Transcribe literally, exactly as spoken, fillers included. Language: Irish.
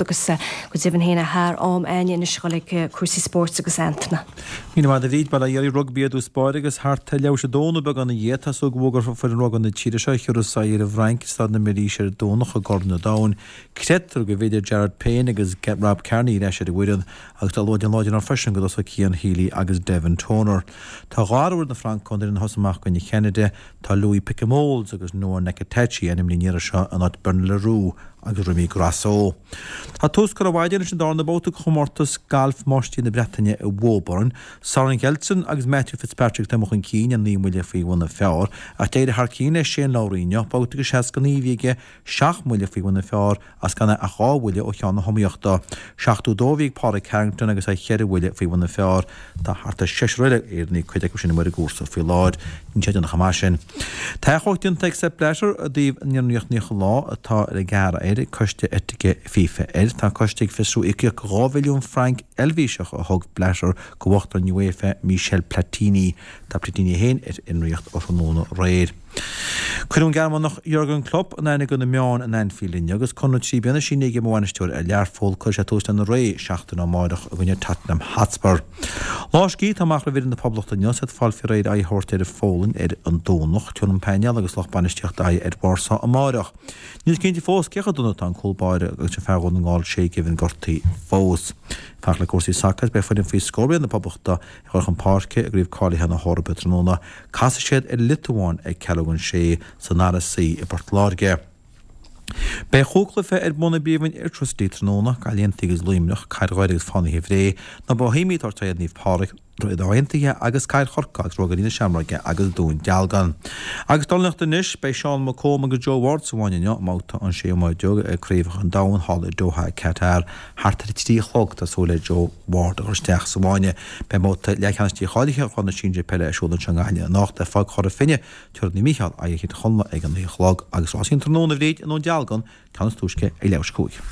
hocht agus go deimhin féin thar am againne anois a dhul ag cúrsaí spóirt agus Antaine. Míle maith agat a Bhríd, bail ó Dhia oraibh. Rugbaí i dtús báire agus thart ar leathuair tar éis a dó nó beagán ina dhiaidh, tá súil go bhfógrófar foireann rugbaí na tíre seo a thiúrfas aghaidh ar an bhFrainc i Staid na Milaoise ar an Domhnach i gCorn an Domhain. Creidtear go bhfillfidh Jared Payne agus Rob Kearney ar ais ar an bhfoireann agus tá luath den láidir ann freisin go dtosóidh Cian Healy agus Devin Toner. Tá dhá athrú ar na Francaigh ón bhfoireann a thosaigh amach i gcoinne Cheanada. Tá Louis Picamoles agus Noa Nakitachi ainmnithe an iarraidh seo in áit Bernard Le Roux agus Remy Grosso. Tá tús curtha ar maidin leis an darna babhta de chomórtas gailf Máistrí na Breataine i Woburn. Soren Kjeldsen agus Matthew Fitzpatrick atá amuigh chun cinn ar naoi mbuille faoi bhun an phar ach d'éirigh thar cionn le Shane Lowry inniu, babhta de seasca naoi a bhí aige, seacht mbuille faoi bhun an phar as gan é ach dhá bhuille ó cheann na hiomaíochta. Seachtó dó a bhí ag Pádraig Harrington agus é cheithre bhuille faoi bhun an phar. Tá thart ar sheisear eile Éireannaigh, cuid acu sin amuigh ar an gcúrsa faoi láthair. Níl sé déanach chomh maith sin. Tá achomharc déanta ag Sepp Blatter i dtaobh an fhionraíocht naocha lá atá le gearradh air ag coiste eitice FIFA air. Tá an coiste ag fiosrú íocaíocht dhá mhilliún franc Eilvéiseach a thug Blatter go uachtarán UEFA Michel Platini. Tá Platini féin ar fhionraíocht ó thráthnóna aréir. Cuireadh an Gearmánach Jurgen Klopp in aithne do na meáin in Anfield inniu agus conradh trí bliana sínithe aige mar bhainisteoir ar Learpholl. Cuirfidh sé tús lena ré seachtain ó amárach i gcoinne Tottenham Hotspur. Lá scíthe atá amach roimh fhoireann na Poblachta inniu is iad ag fáil faoi réir aghaidh a thabhairt ar an Pholainn ar an Domhnach. Tabharfaidh an painéal agus lucht bainistíochta aghaidh ar Warsaw amárach. Níl cinnte fós cé chomh dona atá an cúl báire agus an fear Dhún na nGall Shay Given gortaithe fós. Fanacht le cúrsaí sacair, beidh foireann faoi scór bliana na Poblachta ag dul chun páirce i gcraobh cáilithe na hEorpa tráthnóna. Casfaidh siad ar an Liotuáin ag ceathrú don sé san R S C i bPort Láirge. Beidh chúig chluiche ar bun i bPríomhroinn Airtricity tráthnóna, Gaillimh Aontaithe agus Luimneach, Cathair Dhoire agus Fánaithe Bhré, Na Boihéamaigh ag tabhairt aghaidh ar Naomh Pádraig, Droichead Átha Aontaithe agus Cathair Chorcaí agus Ruagairí na Seamróige agus Dún Dealgan. Agus dornálaíocht anois, beidh Seán McComb agus Joe Ward sa bhfáinne inniu i mbabhta an séú mbáide ag Craobhacha an Domhain thall i Doha, Qatar. Thart ar a trí a chlog tá súil le Joe Ward a dhul isteach sa bhfáinne. Beidh babhta leathcheannais dícháilithe Chraobh na Sinsear Peile ar siúl anseo i nGaillimh anocht le fág Chora Finne tabharfaidh Naomh Mícheál aghaidh ar Thír Chonaill ag a naoi a chlog agus rásaí an tráthnóna a Bhríd i nDún Dealgan, ceann is túisce ag leathuair tar éis a cúig.